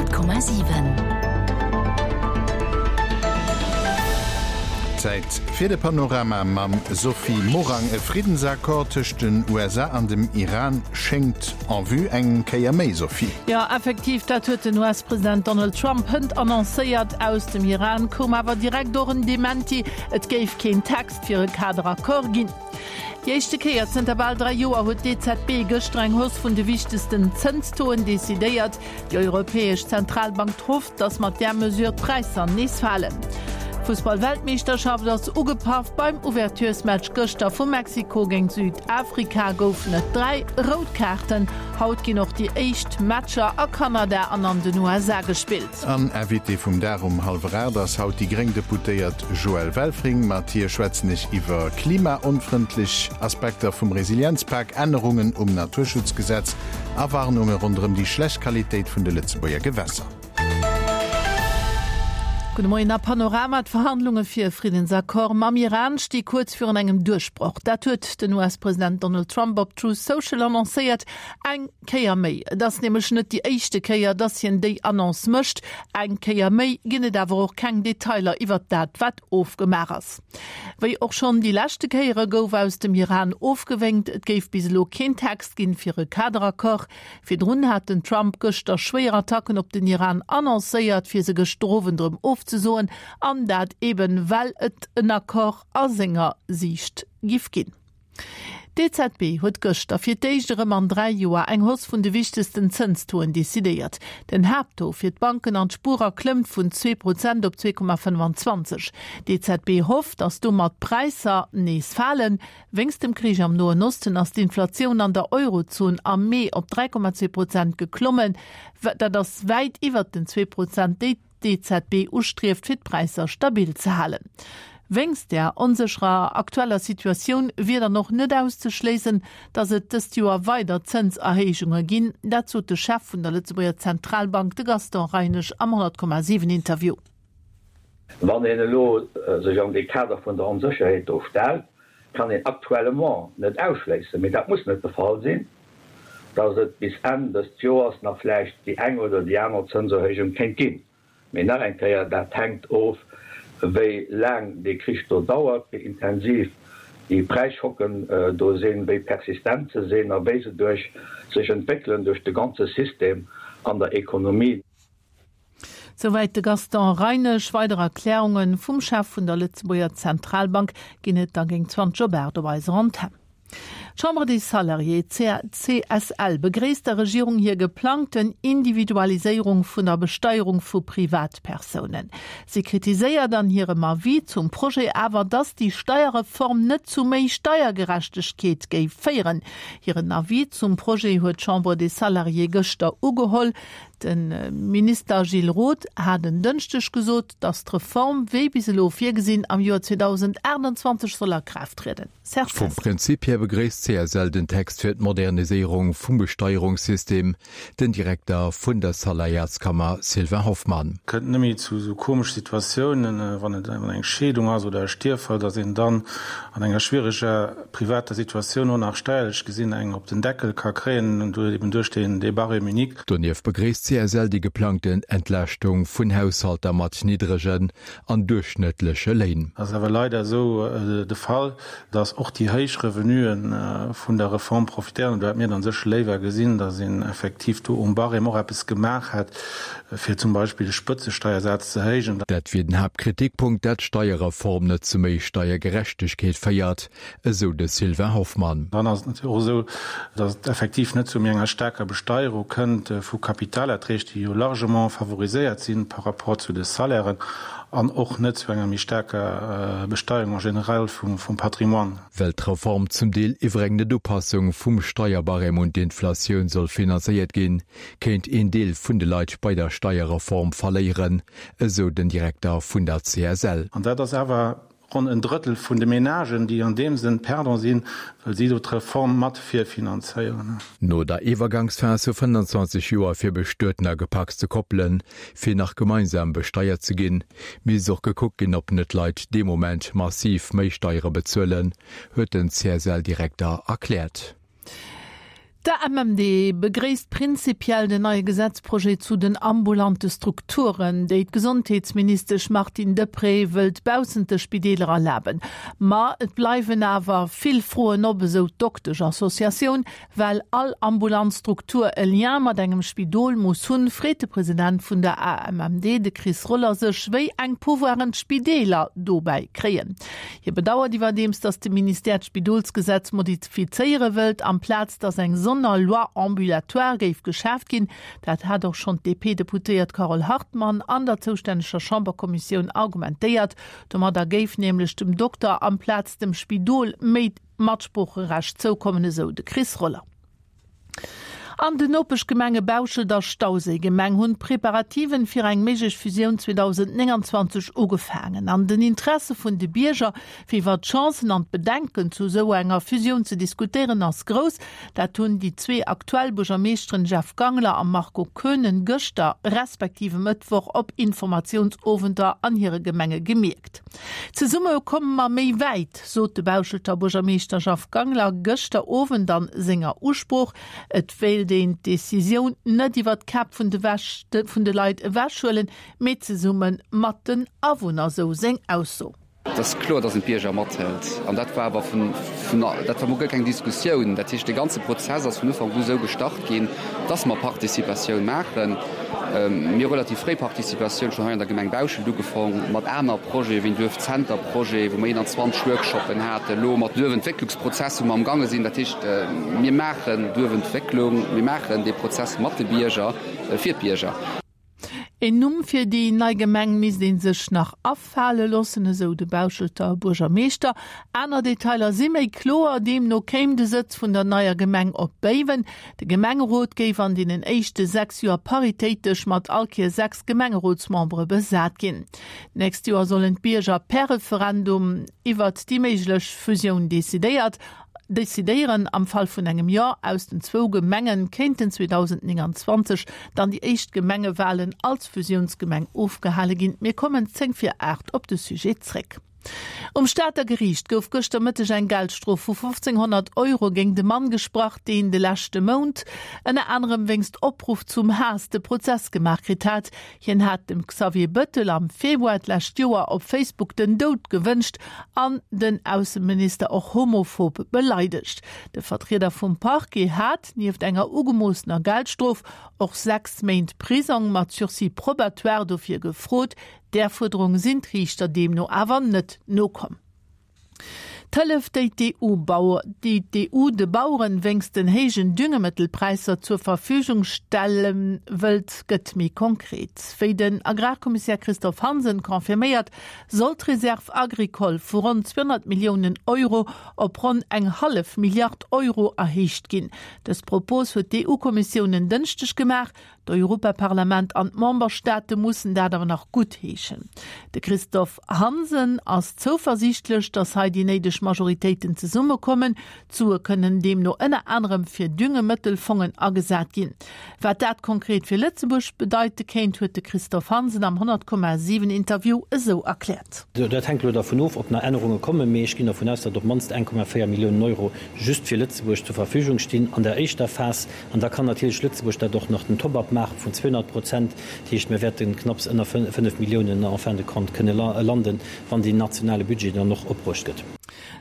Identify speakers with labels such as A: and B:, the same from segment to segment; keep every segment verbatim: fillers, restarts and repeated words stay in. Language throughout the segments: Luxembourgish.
A: Honnert Komma siwen.
B: Zäit fir de Panorama mam Sophie Morang. E Friddensaccord tëscht den U S A an dem Iran schéngt en vue. Eng Kéier méi, Sophie.
C: Jo, effektiv, dat huet den U S-President Donald Trump hënt annoncéiert. Aus dem Iran koum awer direkt och en Dementi, et géif keen Text fir e Kaderaccord ginn. Déi éischte Kéier zënter bal dräi Joer huet d'E Z B gëschter eng Hausse vun de wichtegsten Zënstoen decidéiert. Déi Europäesch Zentralbank hofft, datt mat där Mesure d'Präisser nees falen. D'Fussball-Weltmeeschterschaft ass ugepaff. Beim Ouverturesmatch gëschter vu Mexiko géint Südafrika goufen et dräi rout Kaarten. Haut ginn och déi éischt Matcher a Kanada an an den U S A gespillt.
B: An Invité vum Dag um hallwer aacht ass haut déi gréng Deputéiert Joëlle Welfring. Mat hir schwätzen ech iwwer klimaonfrëndlech Aspekter vum Resilienzpak, Ännerungen um Naturschutzgesetz a Warnunge ronderëm déi schlecht Qualitéit vun de Lëtzebuerger Gewässer.
C: Gudde Moien a Panorama. D'Verhandlunge fir e Friddensaccord mam Iran sti kuerz virun engem Duerchbroch. Dat huet den U S-President Donald Trump op Truth Social annoncéiert. Eng Kéier méi. Et ass nämlech net déi éischte Kéier, datt hien déi Annonce mécht. Eng Kéier méi ginn et awer och keng Detailer iwwer dat, wat ofgemaach ass. Wéi och schonn déi leschte Kéiere gouf aus dem Iran ofgewénkt, et géif bis elo keen Text ginn fir e Kaderaccord. Virdrun hat den Trump gëschter schwéier Attacken op den Iran annoncéiert, fir se gëschter Owend erëm ofzesoen, an dat eben, well et en Accord a senger Siicht giff ginn. D'E Z B huet gëschter fir d'éischt erëm an dräi Joer eng Hausse vun de wichtegsten Zënstoen decidéiert. Den Haapttaux fir d'Banken an d'Spurer klëmmt vun zwee Prozent op zwee Komma fënnwanzwanzeg. D'E Z B hofft, datt domat d'Präisser nees falen. Wéinst dem Krich am Noen Osten ass d'Inflatioun an der Eurozon am Mee op dräi Komma zwee Prozent geklommen. Dat ass wäit iwwer den zwee Prozent, déi d'E Z B ustrieft, fir d'Präisser stabil ze halen. Wéinst der onsécherer aktueller Situatioun wier dann och net auszeschléissen, datt et dëst Joer weider Zënserhéijunge ginn. Dat sot de Chef vun der Lëtzebuerger Zentralbank, de Gaston Reinesch, am honnert Komma siwen Interview.
D: Wann een elo sech an de Kader vun der Onsécherheet do stellt, kann een aktuellement net ausschléissen, mee dat muss net de Fall sinn, datt et bis Enn dës Joers nach vläicht déi eng oder déi aner Zënserhéijung kéint ginn. Mee nach eng Kéier, dat hänkt of, wéi laang dee Krich do dauert, wéi intensiv déi Präisschocken do sinn, wéi persistent se sinn a wéi se duerch sech entwéckelen duerch de ganze System an der Ekonomie.
C: Soweit de Gaston Reinesch. Weitere Erklärungen vum Chef vun der Lëtzebuerger Zentralbank ginn et da géint zwanzeg op acht op eiser Antenn. D'Chambre des Salariés C S L begréisst der Regierung hir geplangten Individualiséierung vun der Besteierung vu Privatpersounen. Sie kritiséiert an hirem Avis zum Projet awer, dass die Steuerreform net zu méi Steiergerechtigkeet géif féieren. Hiren Avis zum Projet huet d'Chambre des Salariés gëschter ugeholl. Den Minister Gilles Roth hat en Dënschdeg gesot, dass d'Reform wéi bis elo virgesinn am Joer zweitausendachtundzwanzeg soll a Kraaft trieden. Serge
E: Vum
C: Fest.
E: Prinzip her begréisst C S L den Text fir d'Moderniséierung vum Besteierungssystem, den Direkter vun der Salariatskammer Sylvain Hoffmann.
F: Kënnt net méi zu so komesche Situatiounen, wann et eng Scheedung ass oder e Stierfall, dass een dann an enger schwieriger privater Situatioun och nach steierlech gesinn eng op den Deckel ka kréien und eben duerch den de Barème unique.
E: Donieft begréisst C S L die geplangten Entlaaschtung vun Haushalter mat niddregen an durchschnittliche Léin.
F: Das ist awer leider so, äh, de Fall, dass och die héich Revenuen, äh, vun der Reform profitéieren. Da hat mir dann sech léiwer gesinn, dass een effektiv do um Barème och eppes gemaach hat, fir zum Beispiel de Spëtzesteiersaz ze héijen.
E: Dat wier den Hauptkritikpunkt, dat d'Steierreform net zu méi Steiergerechtigkeet féiert, esou de Sylvain Hoffmann.
F: Dann ass et natierlech och esou, dass et effektiv net zu méi enger staarker Besteierung kënnt, äh, vu Kapitalerträg, déi jo largement favoriséiert sinn par rapport zu de Salairen an och net zu enger méi staarker, äh, Besteierung en général vum, vum Patrimoine.
E: Well d'Reform zum Deel iwwer eng Netupassung vum Steierbarème und d'Inflatioun soll finanzéiert ginn, kéint een Deel vun de Leit bei der Steierreform verléieren, esou den Direkter vun der C S L.
F: An dat ass awer ronn en Drëttel vun de Menagen, déi an deem Sënn perdant sinn, well si do d'Reform mat virfinanzéieren.
E: No der Iwwergangsphase vu fënnwandzwanzeg Joer fir Bestuetner gepackt ze koppelen, fir nach gemeinsam besteiert ze ginn, misst och gekuckt ginn, ob net Leit dee Moment massiv méi Steiere bezuelen, huet den C S L-Direkter erkläert.
C: D'AMMD begréisst prinzipiell den neie Gesetzprojet zu den ambulante Strukturen, déi d'Gesondheetsministesch Martine Deprez wëllt baussent de Spideeler erlaben. Ma et bleiwen awer vill Froen op, esou d'Dokteschassociatioun. Well all ambulant Struktur e Lien mat engem Spidol muss hunn, freet de President vun der AMMD, de Chris Roller sech, wéi eng Pouvoiren d'Spideeler dobäi kréien. Hie bedauert iwwerdeems, datt de Ministère d'Spidolsgesetz modifizéiere wëllt, amplaz datt eng Sonner Loi ambulatoire géif geschaaft ginn. Dat hat och schonn d'DP-Deputéiert Carole Hartmann an der zoustänneger Chamberkommissioun argumentéiert. Domadder géif nämlech dem Dokter amplaz dem Spidol méi Matsproocherecht zoukommen, esou de Chris Roller. An den Nopeschgemenge Bauschelt a Stauséigemeng hunn d'Preparativen fir eng méiglech Fusioun zweedausendnénganzwanzeg ugefaangen. An den Interesse vun de Bierger, fir iwwer d'Chancen an d'Bedenken zu esou enger Fusioun ze diskutéieren, ass grouss. Dat hunn déi zwee aktuell Buergermeeschteren Jeff Gangler a Marco Koenen gëschter respektiv e Mëttwoch op Informatiounsowenter an hire Gemenge gemierkt. Zesumme komme mer méi wäit, sot de Bauschelter Buergermeeschter Jeff Gangler gëschter Owend an senger Usprooch. Et wéilt een d'Decisioun net iwwer d'Käpp vun de vun de Leit ewechhuelen, mee zesumme mat den Awunner, sou seng Ausso.
A: Et ass kloer, dass een d'Bierger mathëlt. An dat war awer vun, vun, dat war mol guer keng Diskussioun. Dat heescht, dee ganze Prozess ass vun Ufank u esou gestart ginn, dass mer Participatioun maachen. Mir hu relativ fréi Participatioun schonn hei an der Gemeng Bauschelt ugefong, mat aner Projete wéi den Duerfzenterprojet, wou mer eenanzwanzeg Workshoppen haten, elo mat Duerfentwécklungsprozess, wou mer amgange sinn. Dat heescht, mir maachen Duerfentwécklung, mir maachen dee Prozess mat de Bierger, fir d'Bierger.
C: Een Numm fir déi nei Gemeng misst ee sech nach afale loossen, esou de Bauschelter Buergermeeschter. Aner Detailer si méi kloer, deemno kéim de Sëtz vun der neier Gemeng op Béiwen. De Gemengerot géif an deenen éischte sechs Joer paritéitesch mat all Kéier sechs Gemengerotsmembere besat ginn. D'nächst Joer sollen d'Bierger per Referendum iwwert déi méiglech Fusioun decidéiert. Decidéieren. Am Fall vun engem Jo aus den zwou Gemengen kéinten zweedausendnénganzwanzeg dann déi éischt Gemengewalen als Fusiounsgemeng ofgehale ginn. Mir kommen zéng vir aacht op de Sujet zréck. Um Stater Geriicht gouf gëschter Mëtteg eng Geldstrof vu fofzénghonnert Euro géint e Mann gesprach, deen de leschte Mount ënner anerem wéinst Opruff zum Haass de Prozess gemaach kritt hat. Hien hat dem Xavier Bëttel am Februar d'lescht Joer op Facebook den Doud gewënscht an den Ausseminister och homophob beleidegt. De Vertrieder vum Parquet hat, nieft enger ugemoossener Geldstrof, och sechs Méint Prisong mat Sursis probatoire dofir gefrot. Där Fuerderung sinn d'Riichter deemno awer net nokomm. D'Hëllef, déi déi d'EU de Baueren wéinst den héijen Düngemëttelpräisser zur Verfügung stelle wëllt, gëtt méi konkret. Wéi den Agrarkommissär Christophe Hansen confirméiert, soll d'Reserve agricole vu ronn zweehonnert Milliounen Euro op ronn eng hallef Milliard Euro erhéicht ginn. Dës Propos huet d'EU-Kommissioun en Dënschdeg gemaach. D'Europaparlament an d'Memberstaate mussen dat awer nach guttheeschen. De Christophe Hansen ass zouversiichtlech, datt hei déi néideg Majoritéiten zesummekommen. D'Sue kënnen deemno ënner anerem fir Düngemëttelfongen agesat ginn. Wat dat konkret fir Lëtzebuerg bedeite kéint, huet de Christophe Hansen am honnert Komma siwen Interview esou erkläert.
G: Dat hänkt elo dervun of, ob nach Ännerunge kommen, mee ech ginn dervun aus, datt op d'mannst eng Komma véier Milliounen Euro just fir Lëtzebuerg zur Verfügung stinn an der éischter Phas. An da kann natierlech Lëtzebuerg dat och nach den Top-up maache vun zweehonnert Prozent. Dat heescht, mir wäerte knapps ënner fënnef Milliounen en fin de compte kënne landen, wann deen nationale Budget dann och opbruecht gëtt.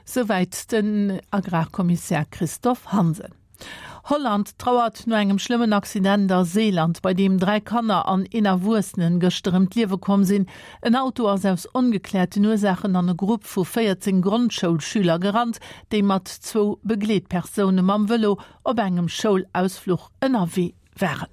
C: Souwäit den Agrarkommissär Christophe Hansen. Holland trauert no engem schlëmmen Accident a Seeland, bei deem dräi Kanner an een Erwuessenen gëschter ëm d'Liewe komm sinn. En Auto ass aus ongekläerten Ursaachen an e Grupp vu véierzéng Grondschoulschüler gerannt, déi mat zwou Begleetpersoune mam Vëlo op engem Schoulausfluch ënnerwee waren.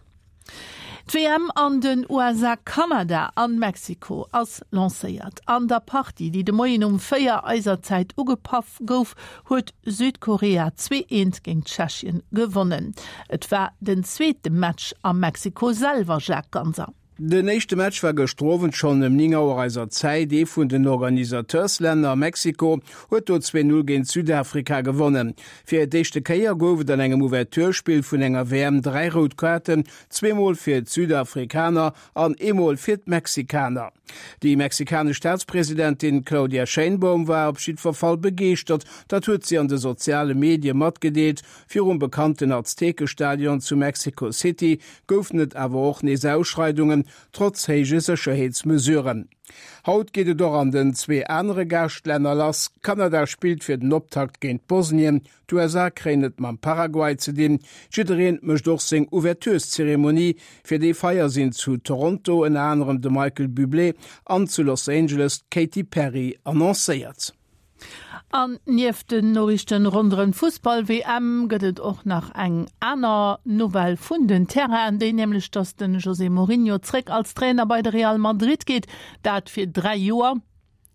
C: D'W M an den U S A, Kanada an Mexiko ass lancéiert. An der Partie, déi de Moien um véier eiser Zäit ugepaff gouf, huet Südkorea zwee eent géint Tschechien gewonnen. Et war den zweete Match a Mexiko selwer, Jacques Ganser.
H: Den éischte Match war gëschter Owend schonn ëm néng Auer eiser Zäit. Ee vun den Organisateurs-Länner, Mexiko, huet do zwee Null géint Südafrika gewonnen. Fir d'éischte Kéier gouf et an engem Ouverture-Spill vun enger W M dräi rout Kaarten, zweemol fir d'Südafrikaner an eemol fir d'Mexikaner. Déi mexikanesch Staatspresidentin Claudia Sheinbaum war op jiddwer Fall begeeschtert, dat huet si an de soziale Medie matgedeelt. Virum bekannten Aztekestadion zu Mexico City goufen et awer och nees Ausschreidungen, trotz héije Sécherheetsmesuren. Haut geet et och an den zwee anere Gaaschtlänner lass. Kanada spillt fir den Optakt géint Bosnien, d'U S A kréien et mam Paraguay ze dinn. Jiddereen mécht och seng Ouvertureszeremonie. Fir déi Feier sinn zu Toronto ënner anerem de Michael Bublé an zu Los Angeles d'Katy Perry annoncéiert.
C: An nieft den Noriichten ronderëm d'Fussball-W M gëtt et och nach eng aner Nouvelle vun den Terrainen, déi nämlech, datt de José Mourinho zréck als Trainer bei de Real Madrid geet, dat fir dräi Joer.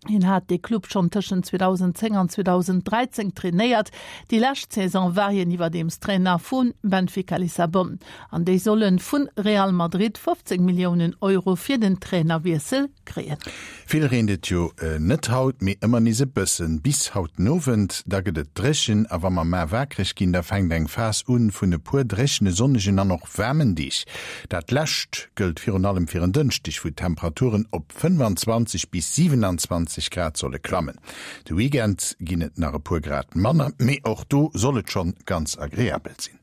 C: Hien hat de Club schonn tëschent zweedausendzéng an zweedausendräizéng trainéiert. Déi lescht Saison war hien iwwerdeems Trainer vu Benfica Lissabon. An déi solle vu Real Madrid fofzéng Milliounen Euro fir den Trainerwiessel kréien.
B: Vill reent et jo net haut, mee ëmmer nees e bëssen. Bis haut den Owend, da gëtt et dréchen a wa mer mar waakreg ginn, da fänkt eng Phas un vun e puer dréchene, sonnegen an och waarmen Deeg. Dat lescht gëllt virun allem fir en Dënschdeg, wou d'Temperaturen op fënnefanzwanzeg bis siewenanzwanzeg Grad solle klammen. De Weekend ginn et nach e puer Grad manner, mee och do soll et schonn ganz agreabel sinn.